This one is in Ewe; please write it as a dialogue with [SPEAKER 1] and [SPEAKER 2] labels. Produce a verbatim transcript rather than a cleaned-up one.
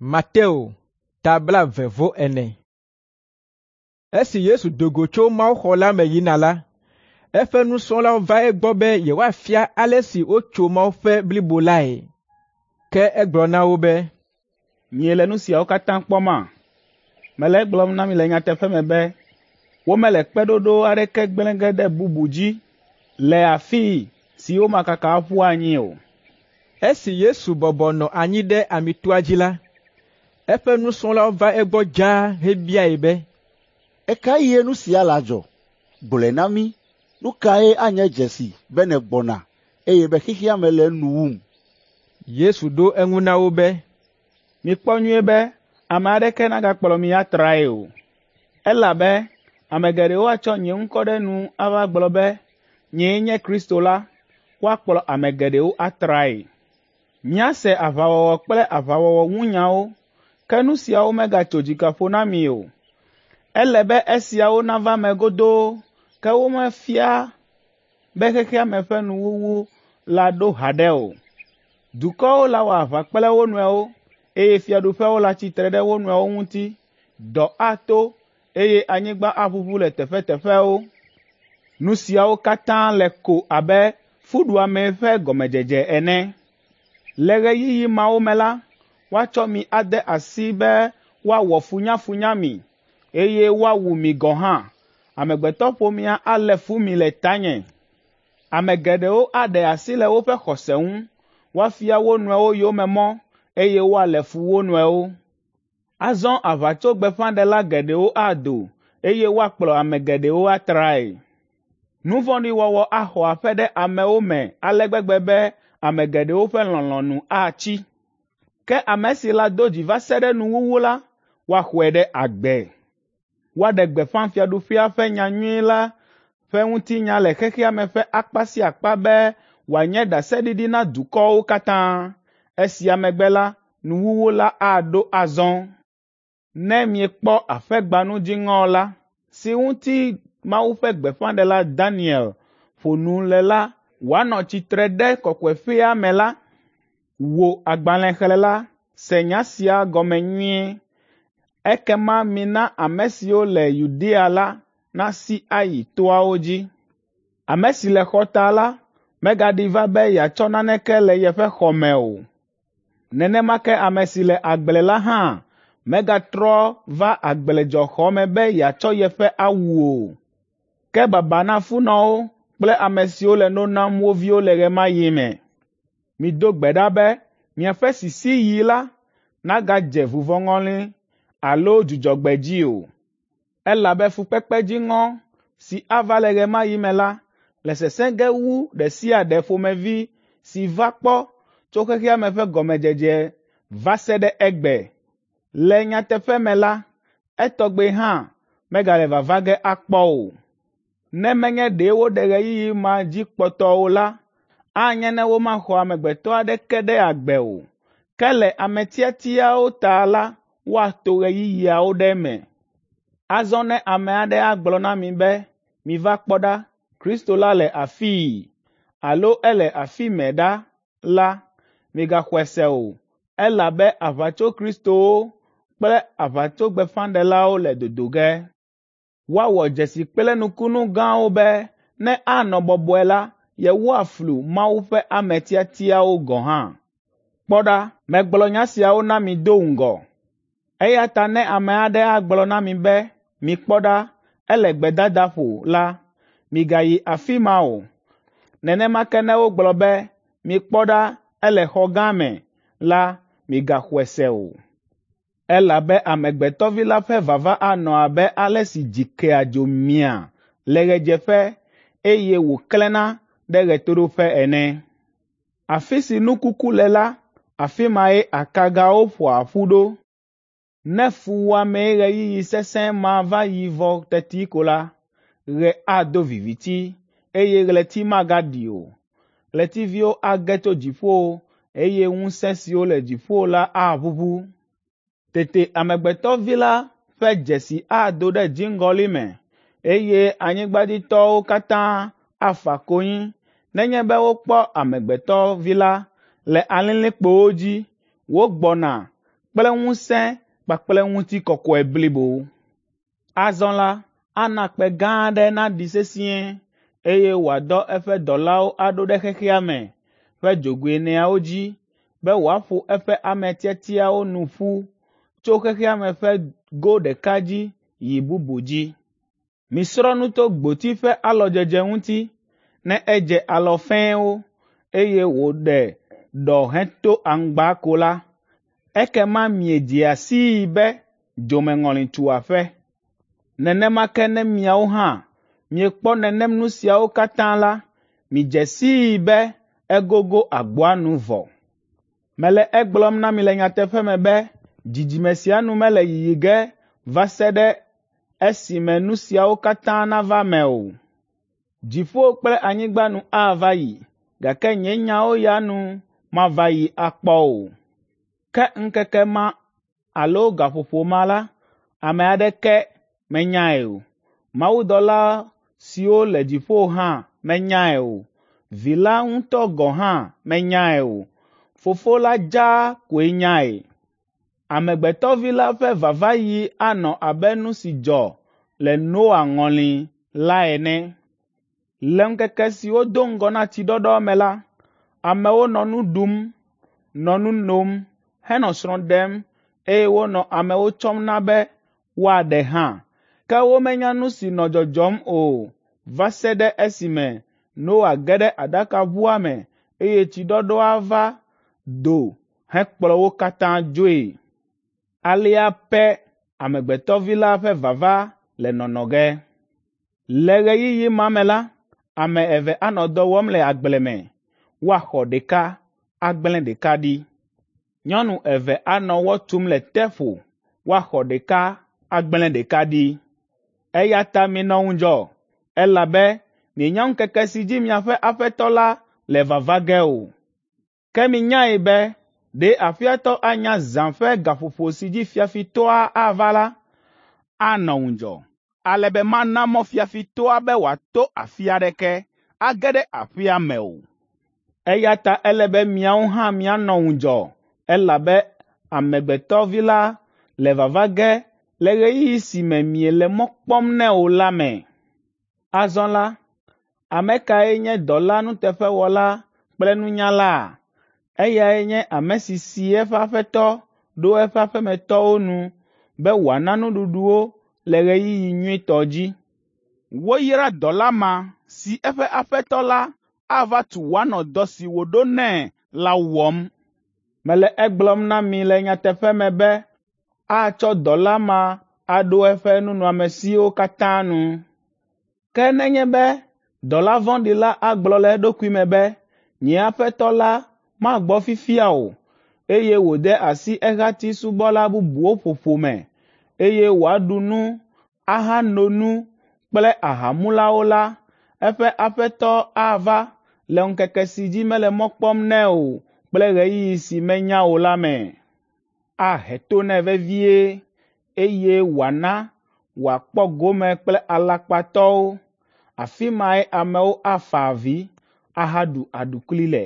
[SPEAKER 1] Mateo ta blaeve-vɔ-ene. Esi Yesu do go tso mawuxɔ la me yina la, eƒe nusrɔ̃lawo va egbɔ be yewoafia ale si wotso mawuƒe blibo lae. Ke egblɔ na wo be,
[SPEAKER 2] “Miele nu siawo katã kpɔma? Mele egblɔm na mi le nyateƒe me be womele kpeɖoɖo aɖeke gblẽ ge ɖe bubu dzi le afii si womakaka aƒu anyi o.”
[SPEAKER 1] Esi Yesu bɔbɔ nɔ anyi ɖe Amitoa dzi la, eƒe nusrɔ̃lawo va egbɔ dzaa hebiae be,
[SPEAKER 3] “Ɣe ka ɣie nu sia adzɔ? Gblɔe na mí. Nu kae anye dzesi be nègbɔna, eye be xexea me le enu wum?”
[SPEAKER 1] Yesu ɖo eŋu na wo be,
[SPEAKER 2] “Mikpɔ nyuie be ame aɖeke nagakplɔ mi atrae o, elabe ame geɖewo atsɔ nye ŋkɔ ɖe nu ava gblɔ be, ‘Nyee nye Kristo la.’ Woakplɔ ame geɖewo atrae. Miase aʋawɔwɔ kple aʋawɔwɔ ŋu nyawo, ke nu siawo megatso dzika ƒo na mi o. Ele be esiawo nava eme godoo, ke womefia be xexea me ƒe nuwuwu la ɖo haɖe o. Dukɔwo lawɔ aʋa kple wo nɔewo, eye fiaɖuƒewo latsi tre ɖe wo nɔewo ŋuti. Dɔ ato, eye anyigba aʋuʋu le teƒeteƒewo. Nu siawo katã le ko abe fuɖuame ƒe gɔmedzedze ene. Le ɣeyiɣi mawo me la, woatsɔ mi ade asi be woawɔ funyafunya mi, eye woawu mi gɔ̃ hã. Amegbetɔƒomea alé fu mi le tanye. Ame geɖewo aɖe asi le woƒe xɔse ŋu, woafia wo nɔewo yome mɔ, eye woalé fu wo nɔewo. Azɔ aʋatsogbeƒãɖela geɖewo ado, eye woakplɔ ame geɖewo atrae. Nu vɔ̃ɖi wɔwɔ axɔ aƒe ɖe amewo me ale gbegbe be ame geɖewo ƒe lɔlɔ̃ nu atsi. Ke ame si lado dzi va se ɖe nuwuwu la, woaxɔe ɖe agbe. Woaɖe gbeƒã fiaɖuƒea ƒe nyanyui la ƒe ŋutinya le xexea me ƒe akpa sia akpa be wòanye ɖaseɖiɖi na dukɔwo katã. Esia megbe la, nuwuwu la aɖo azɔ. Ne miekpɔ aƒegbanu dziŋɔ la, si ŋuti Mawu ƒe gbeƒãɖela Daniel ƒo nu le la wòanɔ tsitre ɖe kɔkɔeƒea me la, wò agbalẽxlẽla, se nya sia gɔme nyuie. Ekema mina ame siwo le Yudea la nasi ayi toawo dzi. Ame si le xɔta la megaɖi va be yeatsɔ naneke le yeƒe xɔ me o. Nenema ke ame si le agble la hã megatrɔ va agbledzɔxɔ me be yeatsɔ yeƒe awu o. Ke baba na funɔwo kple ame siwo le no nam wo viwo le ɣe ma ɣi me. Mido gbe ɖa be miaƒe sisiɣi la nagadze vuvɔŋɔli alo dzudzɔgbe dzi o, elabe fukpekpe dziŋɔ si ava le ɣe ma ɣi me la le sesẽ ge wu ɖe sia ɖe ƒomevi si va kpɔ tso xexea me ƒe gɔmedzedze va se ɖe egbe. Le nyateƒe me la, etɔgbe hã megale vava ge akpɔ o. Ne menye ɖe woɖe ɣeyiɣi ma dzi kpɔtɔ o la, anye ne womaxɔ amegbetɔ aɖeke ɖe agbe o. Ke le ame tiatiawo ta la, woato ɣeyiɣiawo ɖe eme. Azɔ ne ame aɖe agblɔ na mi be, ‘Miva kpɔ ɖa, Kristo la le afii alo ele afi mɛ ɖa’ la, migaxɔe se o, elabe aʋatsokristowo kple aʋatsogbeƒãɖelawo le dodo ge. Woawɔ dzesi kple nukunu gãwo be ne anɔ bɔbɔe la, yewoaflu Mawu ƒe ame tiatiawo gɔ̃ hã. Kpɔ ɖa, megblɔ nya siawo na mi do ŋgɔ. Eya ta ne ame aɖe agblɔ na mi be, ‘Mikpɔ ɖa, ele gbedadaƒo’ la, migayi afi ma o. Nenema ke ne wogblɔ be, ‘Mikpɔ ɖa, ele xɔ gã me’ la, migaxɔe se o. Elabe Amegbetɔ Vi la ƒe vava anɔ abe ale si dzi kea dzo mia le ɣedzeƒe, eye wòklẽna ɖe ɣetoɖoƒe ene. Afi si nu kuku le la, afi mae akagawo ƒoa ƒu ɖo. Ne fuwɔamee ɣeyiɣi sesẽ ma va yi vɔ teti ko la, ɣe ado viviti, eye ɣleti magaɖi o. Ɣletiviwo age tso dziƒo, eye ŋusẽ siwo le dziƒo la aʋuʋu. Tete Amegbetɔ Vi la ƒe dzesi ado ɖe dziŋgɔli me, eye anyigbadzitɔwo katã afa konyi nenye be wokpɔ Amegbetɔ Vi la le alilikpowo dzi wògbɔna kple ŋusẽ kpakple ŋutikɔkɔe blibo. Azɔ la, ana kpẽ gã aɖe naɖi sesĩe, eye wòadɔ eƒe dɔlawo aɖo ɖe xexea me ƒe dzogoe eneawo dzi be wòaƒo eƒe ame tiatiawo nu ƒu tso xexea me ƒe go ɖeka dzi yi bubu dzi. Misrɔ̃ nu tso gboti ƒe alɔdzedze ŋuti. Ne edze alɔ fɛ̃wo, eye wòɖe ɖɔ heto aŋgba ko la, ekema miedzea sii be dzomeŋɔli tu aƒe. Nenema ke ne miawo hã miekpɔ nenem nu siawo katã la, midze sii be egogo agboa nu vɔ. Mele egblɔm na mi le nyateƒe me be dzidzime sia nu mele yiyi ge va se ɖe esime nu siawo katã nava eme o. Dziƒo kple anyigba nu ava yi, gake nye nyawo ya nu mava yi akpɔ o. Ke ŋkeke ma alo gaƒoƒo ma la, ame aɖeke menyae o. Mawudɔla siwo le dziƒo hã menyae o. Vi la ŋutɔ gɔ̃ hã menyae o. Fofo la dzaa koe nyae. Amegbetɔvi la ƒe vavaɣi anɔ abe nu si dzɔ le Noa ŋɔli la ene. Le ŋkeke siwo do ŋgɔ na tsiɖɔɖɔ me la, amewo nɔ nu ɖum, nɔ nu nom, henɔ srɔ̃ ɖem eye wonɔ amewo tsɔm na be woaɖe hã. Ke womenya nu si nɔ dzɔdzɔm o va se ɖe esime Noa ge ɖe aɖakaʋua me eye tsiɖɔɖɔa va do hekplɔ wo katã dzoe. Alea pɛ Amegbetɔvi la ƒe vava le nɔnɔ ge. Le ɣeyiɣi ma me la, ame eve anɔ dɔ wɔm le agble me, woaxɔ ɖeka, agblẽ ɖeka ɖi. Nyɔnu eve anɔ wɔ tum le teƒo, woaxɔ ɖeka, agblẽ ɖeka ɖi. Eya ta minɔ ŋudzɔ, elabe mienya ŋkeke si dzi miaƒe Aƒetɔ la le vava ge o. Ke minyae be ɖe aƒea tɔ anya zã ƒe gaƒoƒo si dzi fiafitɔa ava la, anɔ ŋudzɔ, ale be mana mɔ fiafitɔa be wòato afi aɖeke age ɖe aƒea me o. Eya ta ele be miawo hã mianɔ ŋudzɔ, elabe Amegbetɔvi la le vava ge le ɣeyiɣi si me miele mɔ kpɔm nɛ o la me. Azɔ la, ame kae nye dɔla nuteƒewɔla kple nunyala? Eyae nye ame si si eƒe aƒetɔ ɖo eƒe aƒemetɔwo nu be wòana nuɖuɖu wo le ɣeyiɣi nyuitɔ dzi. Woyra dɔla ma si eƒe aƒetɔ la ava tu wòanɔ dɔ si wòɖo nɛ la wɔm. Mele egblɔm na mi le nyateƒe me be atsɔ dɔla ma aɖo eƒe nunɔamesiwo katã nu. Ke nenye be dɔla vɔ̃ɖi la agblɔ le eɖokui me be, ‘Nye aƒetɔ la magbɔ fifia o,’ eye wòde asi ehati subɔla bubuwo ƒoƒo me, eye wòaɖu nu, ahano nu kple ahamulawo la, eƒe aƒetɔ ava le ŋkeke si dzi mele mɔ kpɔm nɛ o kple ɣeyiɣi si menya o la me. Ahe to nɛ vevie, eye wòana wòakpɔ gome kple alakpatɔwo. Afi mae amewo afa avi ahaɖu aɖukli le.